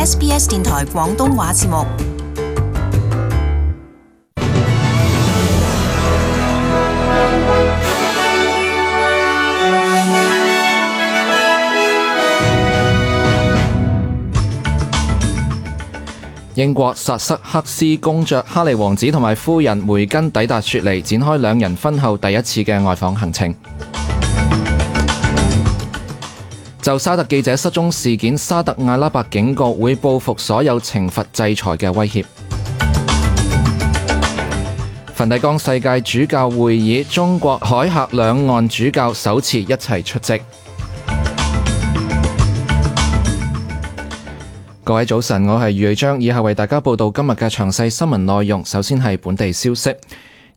SBS 電台廣東話節目。英國薩塞克斯公爵哈利王子同埋夫人梅根抵達雪梨，展開兩人婚後第一次嘅外訪行程。就沙特記者失蹤事件，沙特阿拉伯警告會報復所有懲罰制裁嘅威脅。梵蒂岡世界主教會議，中國海峽兩岸主教首次一齊出席。各位早晨，我係余瑞章，以下為大家報道今日嘅詳細新聞內容。首先係本地消息。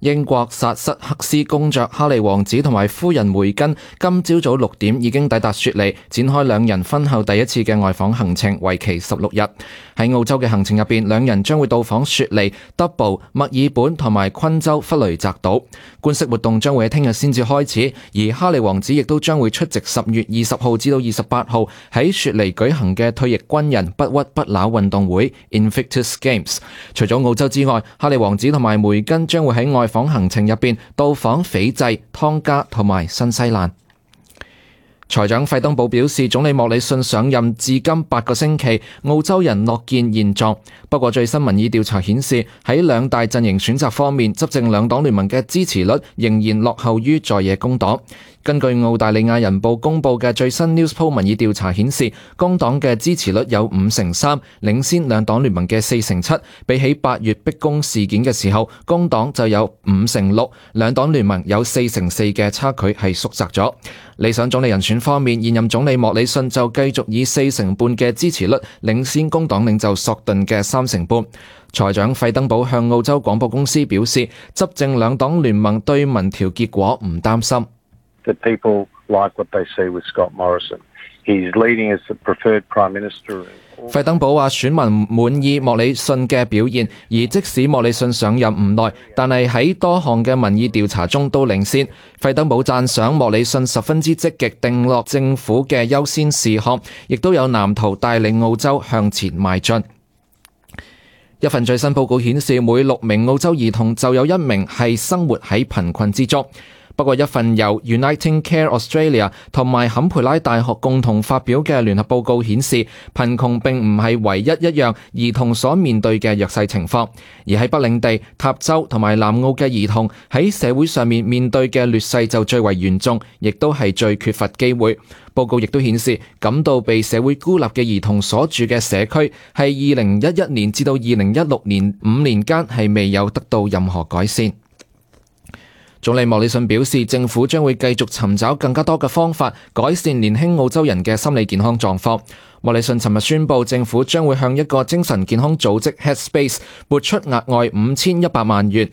英國薩塞克斯公爵哈利王子同埋夫人梅根今朝早6點已經抵達雪梨，展開兩人婚後第一次嘅外訪行程，為期16日。喺澳洲嘅行程入邊，兩人將會到訪雪梨、德堡、墨爾本同埋昆州弗雷澤島。官式活動將會喺聽日先至開始，而哈利王子亦都將會出席10月20號至到28號喺雪梨舉行嘅退役軍人不屈不撓運動會 Invictus Games。除咗澳洲之外，哈利王子同埋梅根將會喺外訪行程入邊到訪斐濟、湯加同埋新西蘭。財長費登堡表示，總理莫里遜上任至今8個星期，澳洲人樂見現狀。不過最新民意調查顯示，喺兩大陣營選擇方面，執政兩黨聯盟嘅支持率仍然落後於在野工黨。根據澳大利亞人報公佈嘅最新 Newspoll 民意調查顯示，工黨嘅支持率有53%，領先兩黨聯盟嘅47%。比起8月逼宮事件嘅時候，工黨就有56%，兩黨聯盟有44%嘅差距係縮窄咗。理想總理人選方面，現任總理莫里遜就繼續以40%半嘅支持率領先工黨領袖索頓嘅3%半。財長費登堡向澳洲廣播公司表示，執政兩黨聯盟對民調結果唔擔心。That people like what they see with Scott Morrison. He's leading as the preferred Prime Minister. 費登堡話選民滿意莫里遜嘅表現，而即使莫里遜上任唔耐，但係喺多項嘅民意調查中都領先。費登堡讚賞莫里遜十分之積極定落政府嘅優先事項，亦都有藍圖帶領澳洲向前邁進。一份最新報告顯示，每6名澳洲兒童就有1名係生活喺貧困之中。不過一份由 Uniting Care Australia 同埋坎培拉大學共同發表嘅聯合報告顯示，貧窮並唔係唯一一樣兒童所面對嘅弱勢情況，而喺北領地、塔州同埋南澳嘅兒童喺社會上面對嘅劣勢就最為嚴重，亦都係最缺乏機會。報告亦都顯示，感到被社會孤立嘅兒童所住嘅社區係2011年至到2016年5年間係未有得到任何改善。總理莫里遜表示，政府將會繼續尋找更加多嘅方法，改善年輕澳洲人嘅心理健康狀況。莫里遜尋日宣布，政府將會向一個精神健康組織 Headspace 撥出額外5100萬元。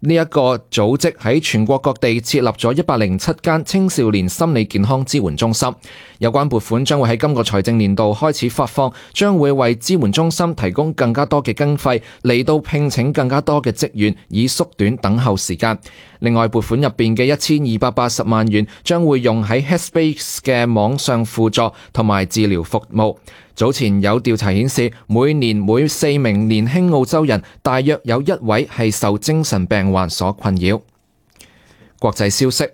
呢一個組織喺全國各地設立咗107間青少年心理健康支援中心，有關撥款將會喺今個財政年度開始發放，將會為支援中心提供更加多嘅經費，嚟到聘請更加多嘅職員，以縮短等候時間。另外，撥款入邊嘅1280萬元將會用喺 Headspace 嘅網上輔助同埋治療服務。早前有調查顯示，每年每4名年輕澳洲人，大約有1位係受精神病患所困擾。國際消息。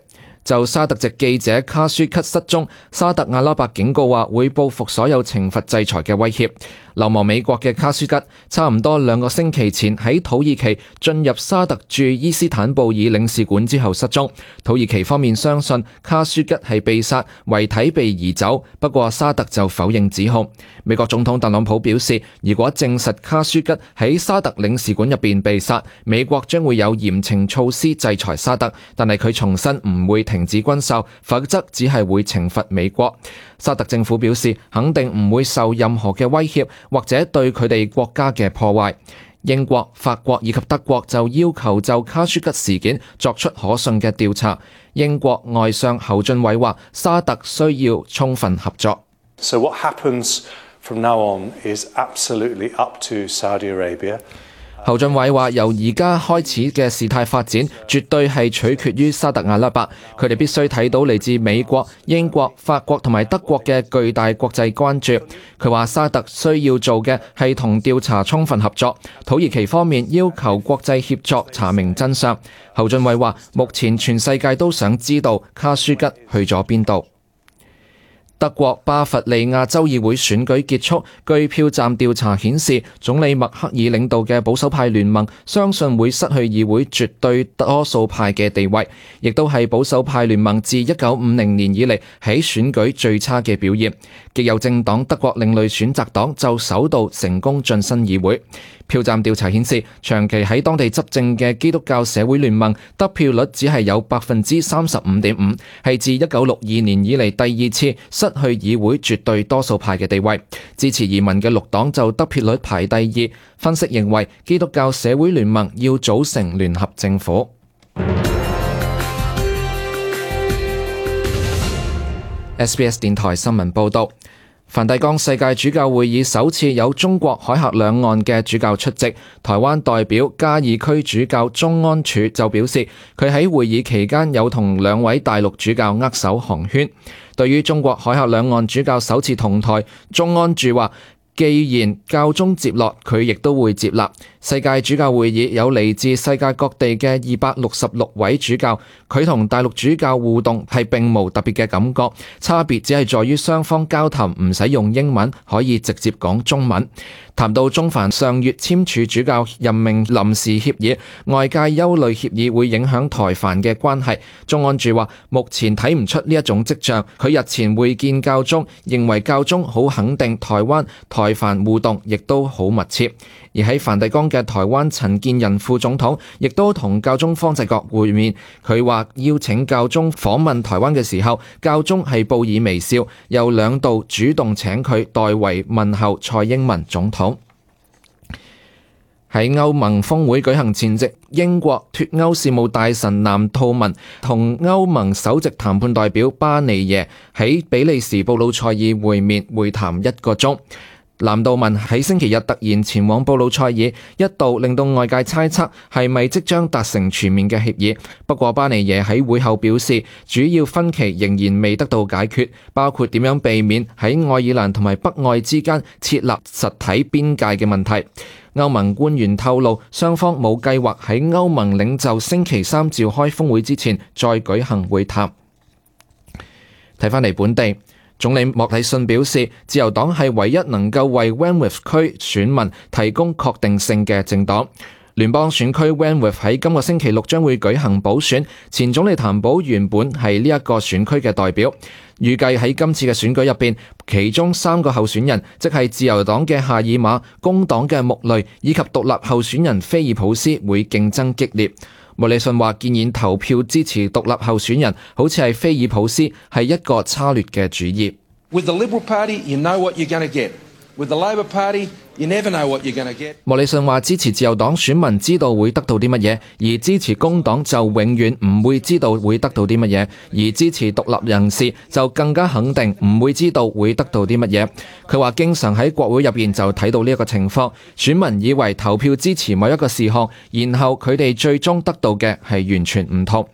就沙特籍記者卡舒吉失蹤，沙特阿拉伯警告話會報復所有懲罰制裁嘅威脅。流亡美國嘅卡舒吉差唔多2個星期前喺土耳其進入沙特駐伊斯坦布爾領事館之後失蹤。土耳其方面相信卡舒吉係被殺，遺體被移走，不過沙特就否認指控。美國總統特朗普表示，如果證實卡舒吉喺沙特領事館入邊被殺，美國將會有嚴懲措施制裁沙特，但係佢重申唔會停止軍售，否則只係會懲罰美國。沙特政府表示，肯定唔會受任何嘅威脅或者對佢哋國家嘅破壞。英國、法國以及德國就要求就卡舒吉事件作出可信嘅調查。英國外相侯俊偉話，沙特需要充分合作。So what happens from now on is absolutely up to Saudi Arabia. 侯俊偉話：由而家開始嘅事態發展，絕對係取決於沙特阿拉伯，佢哋必須睇到嚟自美國、英國、法國同埋德國嘅巨大國際關注。佢話沙特需要做嘅係同調查充分合作，土耳其方面要求國際協作查明真相。侯俊偉話：目前全世界都想知道卡舒吉去咗邊度。德國巴伐利亞州議會選舉結束，據票站調查顯示，總理默克爾領導嘅保守派聯盟相信會失去議會絕對多數派嘅地位，亦都係保守派聯盟自1950年以嚟喺選舉最差嘅表現。極右政黨德國另類選擇黨就首度成功晉身議會。票站調查顯示，長期喺當地執政嘅基督教社會聯盟得票率只係有35.5%，係自1962年以嚟第二次失去議會絕對多數派嘅地位。支持移民嘅綠黨就得票率排第二。分析認為，基督教社會聯盟要組成聯合政府。SBS 電台新聞報導。梵蒂岡世界主教會議首次有中國海峽兩岸嘅主教出席。台灣代表嘉義區主教鍾安柱就表示，佢喺會議期間有同兩位大陸主教握手寒暄。對於中國海峽兩岸主教首次同台，鍾安柱話：既然教宗接納，佢亦都會接納。世界主教會議有嚟自世界各地嘅266位主教，佢同大陸主教互動係並無特別嘅感覺，差別只係在於雙方交談唔使用英文，可以直接講中文。談到中梵上月簽署主教任命臨時協議，外界憂慮協議會影響台梵嘅關係。鍾安柱話：目前睇唔出呢一種跡象。佢日前會見教宗，認為教宗好肯定台灣台梵互動，亦都好密切。而喺梵蒂岡嘅台灣陳建仁副總統亦都同教宗方濟各會面。佢話邀請教宗訪問台灣嘅時候，教宗係報以微笑，又兩度主動請佢代為問候蔡英文總統。喺歐盟峰會舉行前夕，英國脫歐事務大臣藍韜文同歐盟首席談判代表巴尼耶喺比利時布魯塞爾會談1個鐘。藍韜文喺星期日突然前往布魯塞爾，一度令到外界猜測係咪即將達成全面嘅協議。不過巴尼耶喺會後表示，主要分歧仍然未得到解決，包括點樣避免喺愛爾蘭同埋北愛之間設立實體邊界嘅問題。歐盟官員透露，雙方冇計劃喺歐盟領袖星期三召開峰會之前再舉行會談。睇返嚟本地，總理莫里遜表示，自由黨係唯一能夠為 Wentworth 區選民提供確定性嘅政黨。聯邦選區 Wentworth 喺今個星期六將會舉行補選，前總理譚寶原本係呢一個選區嘅代表。預計喺今次嘅選舉入邊，其中3個候選人，即係自由黨嘅夏爾馬、工黨嘅穆雷以及獨立候選人菲爾普斯會競爭激烈。莫里遜話建議投票支持獨立候選人，好似係菲爾普斯，係一個差劣嘅主意。With the Liberal Party, you know what you're going to get. With the Labor Party, you never know what you're going to get. 莫里遜話支持自由黨選民知道會得到啲乜嘢，而支持工黨就永遠唔會知道會得到啲乜嘢，而支持獨立人士就更加肯定唔會知道會得到啲乜嘢。佢話經常喺國會入邊就睇到呢一個情況，選民以為投票支持某一個事項，然後佢哋最終得到嘅係完全唔同。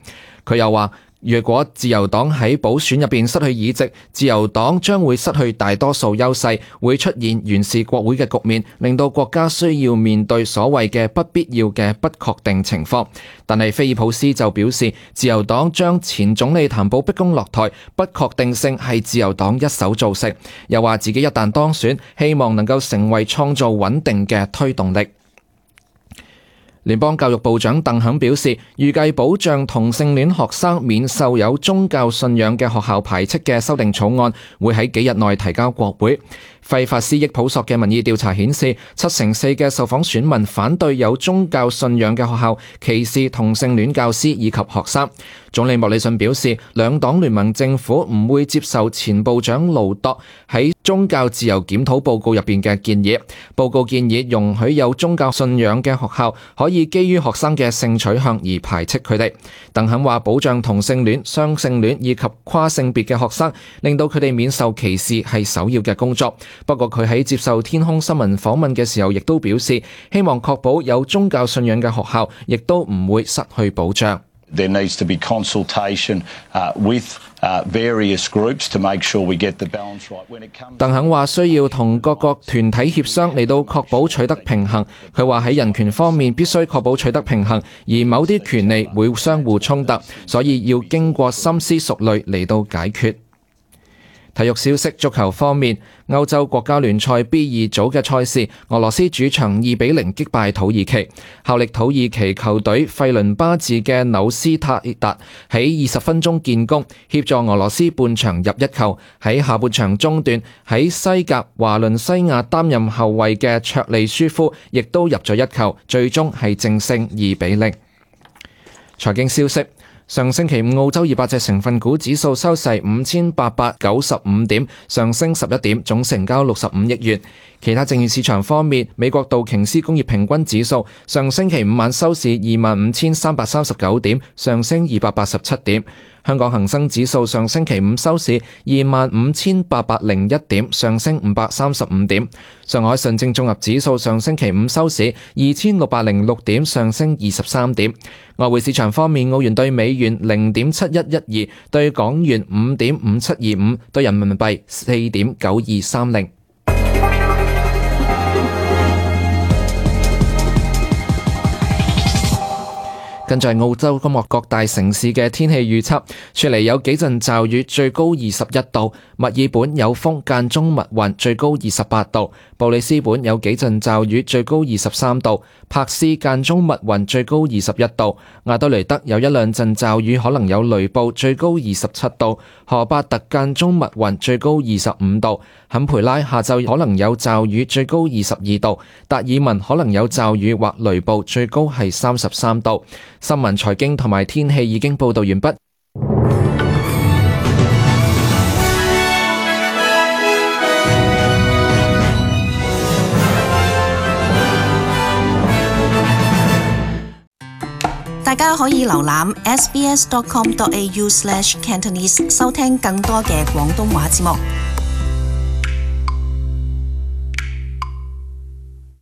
佢又話，若果自由黨喺補選入邊失去議席，自由黨將會失去大多數優勢，會出現懸峙國會嘅局面，令到國家需要面對所謂嘅不必要嘅不確定情況。但係菲爾普斯就表示，自由黨將前總理譚寶逼宮落台，不確定性係自由黨一手造成。又話自己一旦當選，希望能夠成為創造穩定嘅推動力。聯邦教育部長鄧肯表示，預計保障同性戀學生免受有宗教信仰嘅學校排斥嘅修訂草案，會喺幾日內提交國會。費法斯益普索嘅民意調查顯示，74%嘅受訪選民反對有宗教信仰嘅學校歧視同性戀教師以及學生。總理莫里遜表示，兩黨聯盟政府唔會接受前部長盧朵喺宗教自由檢討報告入邊嘅建議。報告建議容許有宗教信仰嘅學校可以以基於學生嘅性取向而排斥佢哋。鄧肯話保障同性戀、雙性戀以及跨性別嘅學生，令到佢哋免受歧視係首要嘅工作。不過佢喺接受天空新聞訪問嘅時候，亦都表示希望確保有宗教信仰嘅學校亦都唔會失去保障。There needs to be consultation with various groups to make sure we get the balance right. When it comes， 鄧肯話需要同各個團體協商嚟到確保取得平衡。佢話喺人權方面必須確保取得平衡，而某啲權利會相互衝突，所以要經過深思熟慮嚟到解決。體育消息，足球方面，歐洲國家聯賽 B 2組嘅賽事，俄羅斯主場2-0擊敗土耳其。效力土耳其球隊費倫巴治嘅紐斯塔達喺20分鐘建功，協助俄羅斯半場入1球。喺下半場中段，喺西甲華倫西亞擔任後衛嘅卓利舒夫亦都入咗1球，最終係淨勝2-0。財經消息。上星期五澳洲200隻成分股指數收市5895點，上升11點，總成交65億元。其他證券市場方面，美國道瓊斯工業平均指數上星期五晚收市25,339點，上升287點。香港恒生指數上星期五收市25,801點，上升535點。上海上證綜合指數上星期五收市2,606點，上升23點。外匯市場方面，澳元對美元0.7112，對港元5.5725，對人民幣4.9230。跟住係澳洲今日各大城市嘅天氣預測，雪梨有幾陣驟雨，最高21度；墨爾本有風，間中密雲，最高28度；布里斯本有幾陣驟雨，最高23度；柏斯間中密雲，最高21度；亞德雷德有一兩陣驟雨，可能有雷暴，最高27度；荷巴特間中密雲，最高25度；坎培拉下晝可能有驟雨，最高22度；達爾文可能有驟雨或雷暴，最高係33度。新聞、財經同埋天氣已經報道完畢。大家可以瀏覽 sbs.com.au/cantonese 收聽更多嘅廣東話節目。